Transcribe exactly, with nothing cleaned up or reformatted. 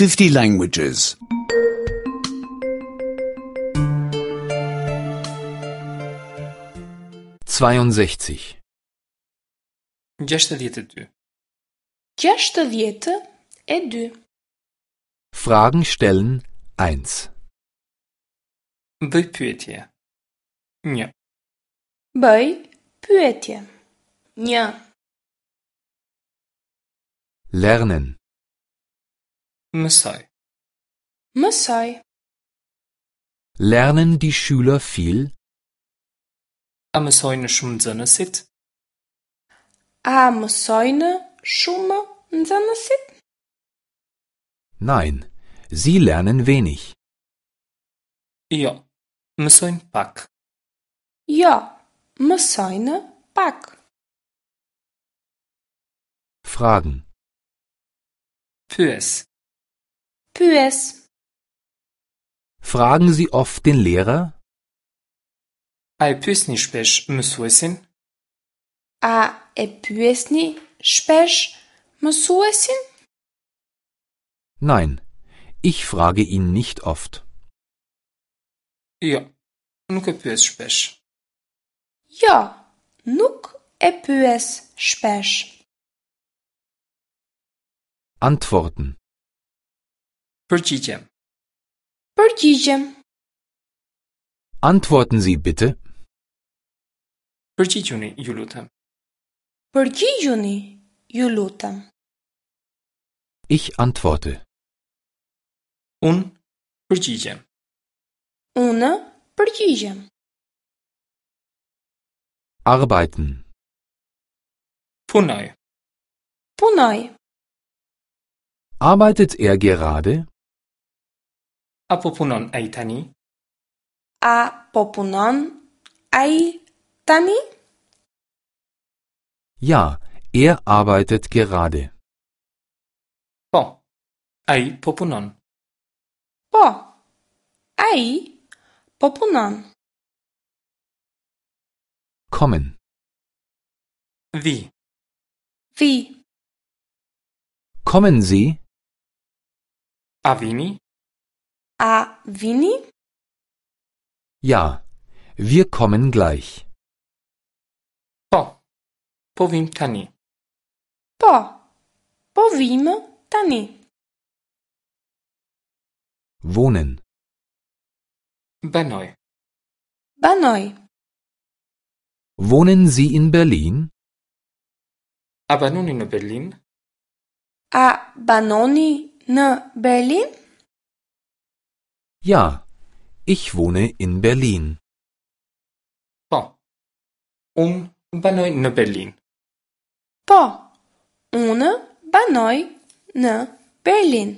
fifty languages. zweiundsechzig. Gjashtëdhjetë e dy. Gjashtëdhjetë e dy. Fragen stellen eins. Bëj pyetje. Një. Bëj pyetje. Një. Lernen. Mësoj. Mësoj. Lernen die Schüler viel? A mësojnë shumë nxënësit? A mësojnë shumë nxënësit? Nein, sie lernen wenig. Jo, mësojnë pak. Jo, mësojnë pak. Fragen. Pyes. Pyes. Fragen Sie oft den Lehrer? A e pyesni shpesh mësuesin? A e pyesni shpesh mësuesin? Nein, ich frage ihn nicht oft. Jo, nuk e pyes shpesh. Jo, nuk e pyes shpesh. Antworten. Përgjigjem. Përgjigjem. Antworten Sie bitte. Përgjigjuni, ju lutem. Përgjigjuni, ju lutem. Ich antworte. Unë përgjigjem. Unë përgjigjem. Arbeiten. Punoj. Punoj. Arbeitet er gerade? A po punon ai tani? A po punon ai tani? Ja, er arbeitet gerade. Po. Ai po punon. Po. Ai po punon. Kommen. Vi. Vi. Kommen Sie? A vini? A vini? Ja, wir kommen gleich. Po. Po vim tani. Po. Po vim tani. Wohnen. Banoj. Banoj. Wohnen Sie in Berlin? A banoni në Berlin? A banoni në Berlin? Ja, ich wohne in Berlin. Po. Unë banoj në Berlin. Po. Unë banoj në Berlin.